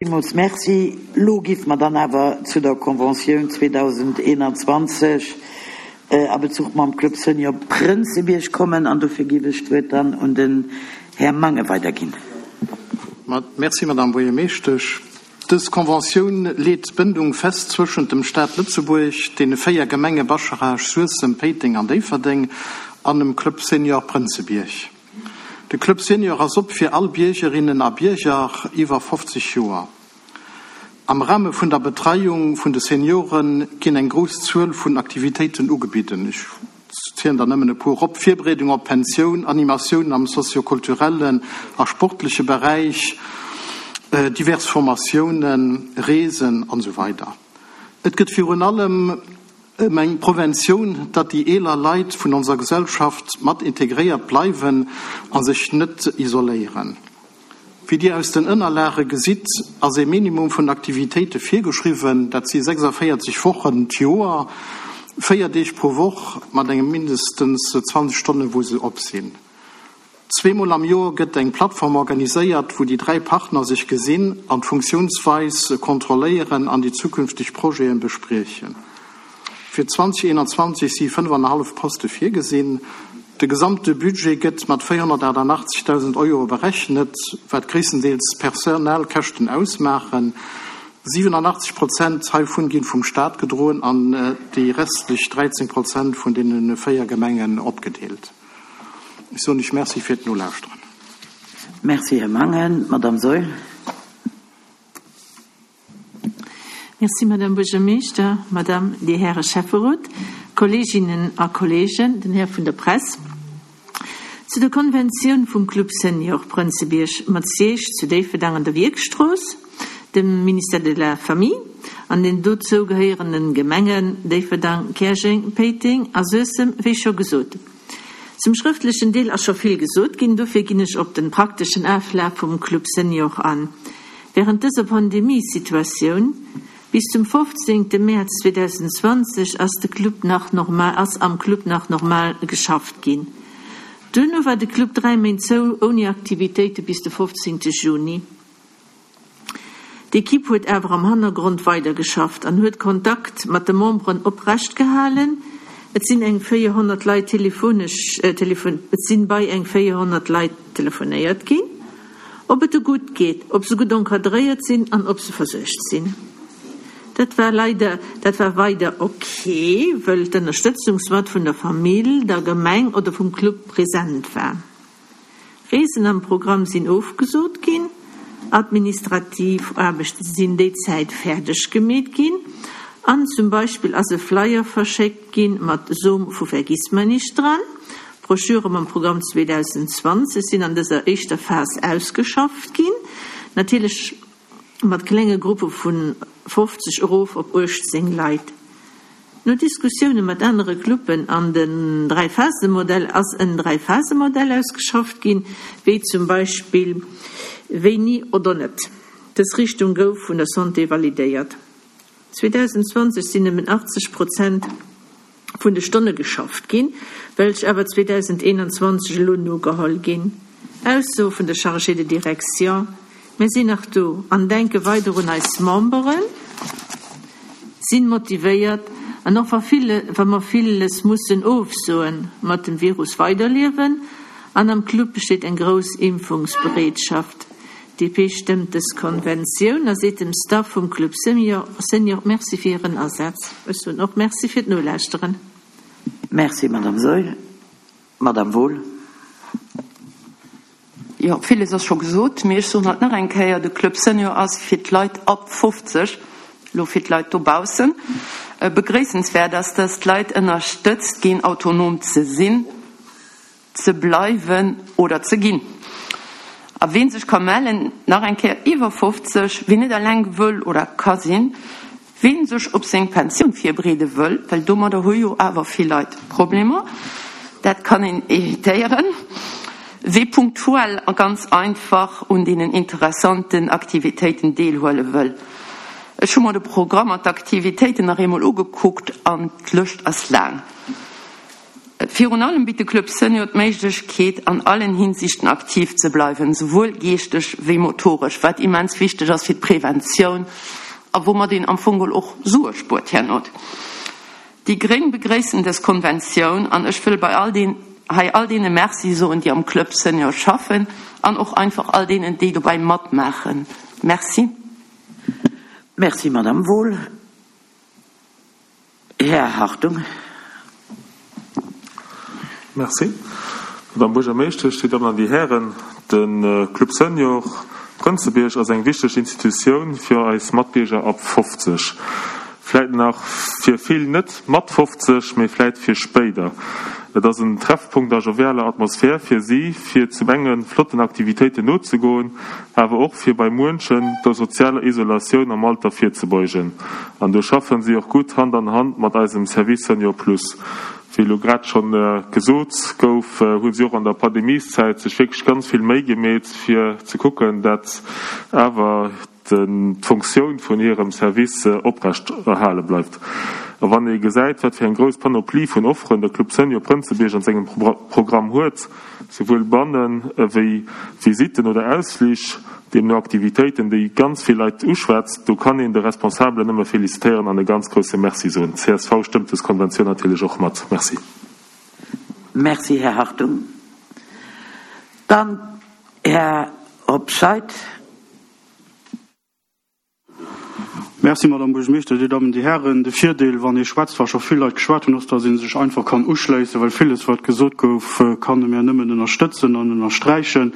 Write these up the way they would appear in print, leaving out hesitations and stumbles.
Villmools Merci. Elo géife mer dann awer zu der Conventioun 2021 a Bezuch mam Club Senior Prënzebierg kommen an dofir géif ech d'Wuert dann un den Här Mangen weiderginn. Merci, Madame Buergermeeschtesch. Dës Conventioun leet d'Bëndung fest zwëschent dem Staat Lëtzebuerg, deene 4 Gemenge Bascharage, Suessem, Péiteng an Déifferdeng an dem Club Senior Prënzebierg. De Club Senior ass op fir all Biergerinnen a Bierger iwwer 50 Joer. Am Rahme vun der Betreiung vun de Seniore ginn eng grouss Zuel vun Aktivitéiten ugebidden. Ech zielen der nëmmen e puer op, Virbereedung op d'Pensioun, Animatiounen am soziokulturellen a sportleche Beräich, divers Formatiounen, Reesen an esou weider. Et gëtt virun allem Ëm eng Preventioun, datt déi eeler Leit vun onser Gesellschaft mat integréiert bleiwen a sech net isoléieren. Wéi Dir aus den Ënnerlage gesitt, ass ee Minimum vun Aktivitéite virgeschriwwen, dat si 46 Wochen d'Joer, 4 Deeg pro Woch mat engem mindestens 20 Stonnen, wou se op sinn. Zweemol am Joer gëtt eng Plattform organiséiert, wou déi 3 Partner sech gesinn an d'Funktiounsweis kontrolléieren an déi zukünfteg Projete bespriechen. Fir 2021 si 5,5 Poste virgesinn. De gesamte Budget gëtt mat 488.000 Euro berechnet, wat gréisstendeels Personalkäschten ausmaachen. 87 Prozent heivun ginn vum Staat gedroen an déi restlech 13 Prozent vun deene 4 Gemengen opgedeelt. Ech soen lech Merci fir d'Nolauschteren. Merci, Här Mangen. D'Madame Saeul. Merci, Madame Buergermeeschter, Madame, Dir Häre Schäfferot, Kolleeginnen a Kolleegen, den Här vun der Press. Zu der Konventioun vum Club Senior Prënzebierg mat Siège zu Déifferdang an der Wierkstrooss, dem Ministère de la Famille an den dozou gehéierenden Gemengen Déifferdang, Käerjeng, Péiteng a Suessem, wéi scho gesot. Zum schrëftlechen Deel ass scho vill gesot ginn, dofir ginn ech op den prakteschen Aflaf vum Club Senior an. Während dëser Pandemiesituatioun, bis zum 15 Mäerz 2020, ass de Club nach normal ass am Club nach normal geschafft ginn. Duerno war de Club 3 Méint zou, ouni Aktivitéite bis de 15 Juni. D'Equipe huet awer am Hannergrond weidergeschafft an huet Kontakt mat de Memberen oprecht gehalen. Et sinn eng 400 Leit telefonesch et sinn bei eng 400 Leit telefonéiert ginn, ob et e gutt geet, ob se gutt encadréiert sinn an ob se versuergt sinn. Dat war leider dat war weider ok, wëll d'Ënnerstëtzung soit vun der Famill, der Gemeng oder vum Club present war. Reesen am Programm sinn ofgesot ginn, administrativ Aarbechte sinn déi Zäit fäerdeg gemeet ginn an zum Beispill ass e Flyer verschéckt ginn mat Som vu Vergissmeinnicht dran. Broschüre mam Programm 2020 sinn an dëser éischter Phas ausgeschafft ginn, natierlech mat klenge Gruppe vu 50 erof op 18 Leit. No Diskussioune mat anere Cluben an den Dräiphasemodell ass en Dräiphasemodell ausgeschafft ginn, wéi zum Beispill wéini oder net. Dës Richtung gouf vun der Santé validéiert. 2020 sinn nëmmen 80 Prozent vun de Stonne geschafft ginn, welch awer 2021 elo nogeholl ginn. Ausso vun der Chargée de direction, Mir sinn nach do an denke weider un eis Memberen, sinn motivéiert an och wa wa mer villes mussen ofsoen, mat dem Virus weiderliewen an am Club besteet eng grouss Impfungsbereetschaft. DP stëmmt dës Konventioun a seet dem Staff vum Club Senior Merci fir hiren Asaz. Ech soen och Merci fir d'Nolauschteren. Merci, Madame Saeul. Madame Wohl. Jo, villes ass scho gesot, mee ech soen alt nach eng Kéier, de Club Senior ass fir d'Leit ab 50, elo fir d'Leit dobaussen. Begréissenswäert ass, dass d'Leit ënnerstëtzt ginn, autonom ze sinn, ze bleiwen oder ze ginn. A ween sech ka mellen, nach eng Kéier, iwwer 50, ween net eleng wëll oder ka sinn, Ween sech op seng Pensioun virbereede wëll, well domadder hu jo awer vill Leit Problemer, dat kann een evitéieren, wee punktuell a ganz einfach un deenen interessanten Aktivitéiten deelhuele wëll. Ech hu mer de Programm an d'Aktivitéiten nach eemol ugekuckt an d'Lëscht ass laang. Virun allem bitt de Club Senior d'Méiglechkeet, an allen Hinsichten aktiv ze bleiwen, souwuel geeschteg wéi motoresch, wat immens wichteg ass fir d'Preventioun a woumat een am Fong geholl och Sue spuert herno. Déi gréng begréissen dës Konventioun an ech wëll bei all deen hei all deene Merci soen, déi am Club Senior schaffen an och einfach all deenen, déi dobäi matmaachen. Merci. Merci, Madame Wohl. Här Hartung. Merci, Madame Buergermeeschtesch, Dir Dammen an Dir Hären. De Club Senior Prënzebierg ass eng wichteg Institutioun fir eis Matbierger ab 50. Vläit nach fir vill net mat 50, mee vläit fir spéider. Et ass en Treffpunkt a jovialer Atmosphär fir si, fir zum enge flotten Aktivitéiten nozegoen, awer och fir bei muenchen der sozialer Isolatioun am Alter virzebeugen. An do schaffen si och gutt Hand an Hand mat eisem Service Senior Plus. Wéi elo grad schonn gesot gouf, hu si och an der Pandemieszäit sech wierklech ganz vill Méi gemeet, fir ze kucken, dat awer d'Funktioun vun hirem Service oprecht erhale bleift. A wann ee gesäit, wat fir eng grouss Panoplie vun Offeren de Club Senior Prënzebierg an sengem Programm huet, souwuel bannen ewéi Visitten oder Ausflich, deemno Aktivitéiten, déi ganz vill Leit uschwätzt, do kann een de Responsabelen nëmme felicitéieren an e ganz grousse Merci soen. Csv stëmmt des Konventioun natierlech och mat. Merci. Merci, Här Hartung. Dann Här Hobscheit. Merci, Madame Buergermeeschter, Dir Dammen, Dir Hären. De Virdeel, wann ee schwätzt, wa scho vill Leit geschwat hunn, ass, datt ee sech einfach kann uschléissen, well villes, wat gesot gouf, kann e mir nëmmen ënnerstëtzen an ënnersträichen.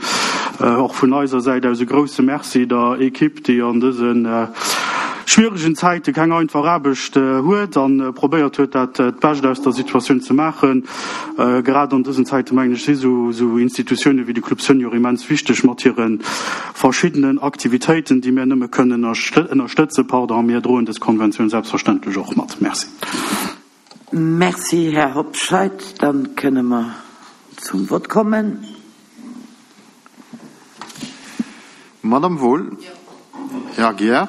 Och vun eiser Säit aus e grouse Merci der Equipe, déi an dëse schwieregen Zäite keng einfach Aarbecht huet a probéiert huet, dat Bescht aus der Situatioun ze maachen. Grad an dësen Zäite, mengen ech, si sou Institutioune wéi de Club Senior immens wichteg mat hire verschiddenen Aktivitéiten, déi mir nëmme kënnen ënnerstëtzen. Pardon, mir droen dës Konventioun selbstverständlech och mat. Merci. Merci, Här Hobscheit. Da kënne mer zum Vott kommen. Madame Wohl? Här Aguiar?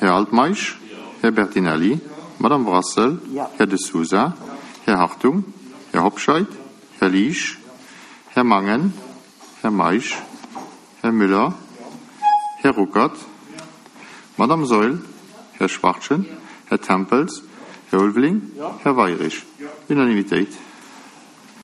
Här Altmeisch? Här Bertinelli? Madame Brassel? Här De Sousa? Här Hartung? Här Hobscheit? Här Liesch? Här Mangen? Här Meisch? Här Müller? Här Ruckert? Madame Saeul? Här Schwachtgen? Här Tempels? Här Ulveling? Här Weirich? Unanimitéit.